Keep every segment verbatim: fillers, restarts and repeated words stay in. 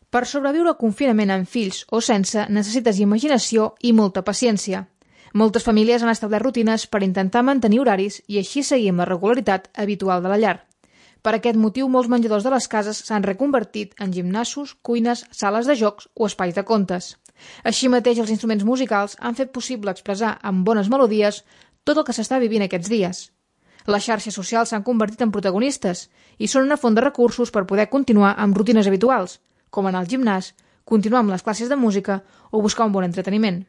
Per sobreviure al confinament amb fills o sense, necessites imaginació i molta paciència. Moltes famílies han establert rutines per intentar mantenir horaris i així seguir amb la regularitat habitual de la llar. Per aquest motiu, molts menjadors de les cases s'han reconvertit en gimnasos, cuines, sales de jocs o espais de contes. Així mateix, els instruments musicals han fet possible expressar amb bones melodies tot el que s'està vivint aquests dies. Les xarxes socials s'han convertit en protagonistes i són una font de recursos per poder continuar amb rutines habituals, com anar al gimnàs, continuar amb les classes de música o buscar un bon entreteniment.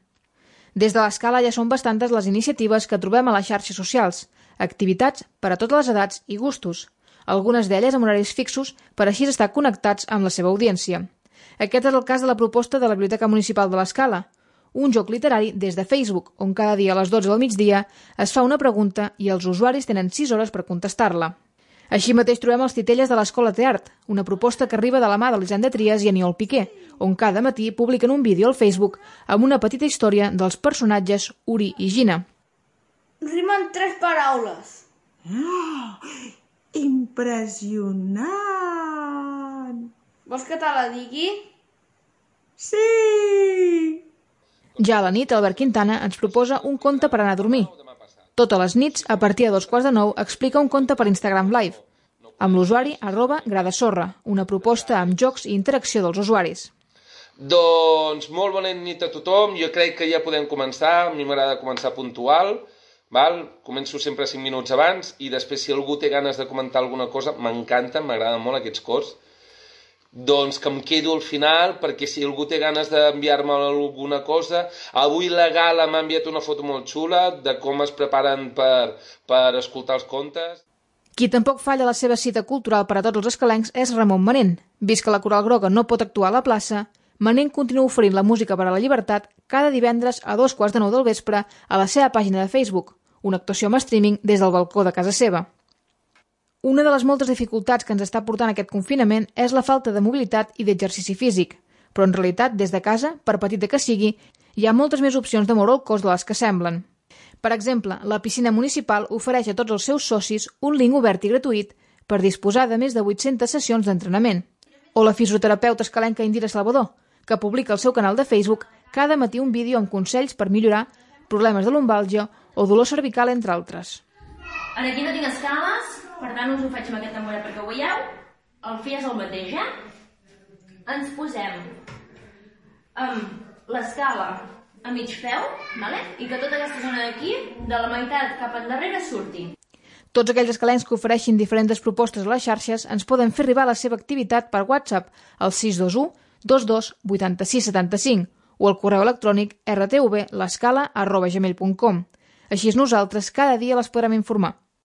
Des de l'Escala ja són bastantes les iniciatives que trobem a les xarxes socials, activitats per a totes les edats i gustos, algunes d'elles amb horaris fixos per així estar connectats amb la seva audiència. Aquest és el cas de la proposta de la Biblioteca Municipal de l'Escala, un joc literari des de Facebook, on cada dia a les dotze del migdia es fa una pregunta i els usuaris tenen sis hores per contestar-la. Així mateix trobem els Titelles de l'Escola Teart, una proposta que arriba de la mà d'Elisenda Trias i Aniol Piqué, on cada matí publiquen un vídeo al Facebook amb una petita història dels personatges Uri i Gina. Rimen tres paraules. Oh, impressionant! Vols que te la digui? Sí! Ja a la nit, Albert Quintana ens proposa un conte per anar a dormir. Totes les nits, a partir de dos quarts de nou, explica un conte per Instagram Live, amb l'usuari arroba gradasorra, una proposta amb jocs i interacció dels usuaris. Doncs molt bona nit a tothom, jo crec que ja podem començar, a mi m'agrada començar puntual, val? Començo sempre cinc minuts abans i després si algú té ganes de comentar alguna cosa, m'encanta, m'agraden molt aquests cors, doncs que em quedo al final perquè si algú té ganes d'enviar-me alguna cosa, avui la Gala m'ha enviat una foto molt xula de com es preparen per, per escoltar els contes. Qui tampoc falla la seva cita cultural per a tots els escalencs és Ramon Manent. Vist que la Coral Groga no pot actuar a la plaça, Manent continua oferint la música per a la llibertat cada divendres a dos quarts de nou del vespre a la seva pàgina de Facebook, una actuació amb streaming des del balcó de casa seva. Una de les moltes dificultats que ens està portant aquest confinament és la falta de mobilitat i d'exercici físic, però en realitat, des de casa, per petita que sigui, hi ha moltes més opcions de moure el cos de les que semblen. Per exemple, la piscina municipal ofereix a tots els seus socis un link obert i gratuït per disposar de més de vuit-centes sessions d'entrenament. O la fisioterapeuta escalenca Indira Salvador, que publica al seu canal de Facebook cada matí un vídeo amb consells per millorar problemes de lumbàlgia o dolor cervical, entre altres. Aquí no tinc escales, per tant us ho faig amb aquest tamboret perquè ho veieu. El fi és el mateix, eh? Ens posem amb l'escala a mig peu, vale? I que tota aquesta zona d'aquí, de la meitat cap endarrere, surti. Tots aquells escalencs que ofereixin diferents propostes a les xarxes ens poden fer arribar la seva activitat per WhatsApp al sis dos u dos dos vuit sis set cinc o al correu electrònic r t v l'escala arroba gmail punt com. Així nosaltres cada dia les podrem informar.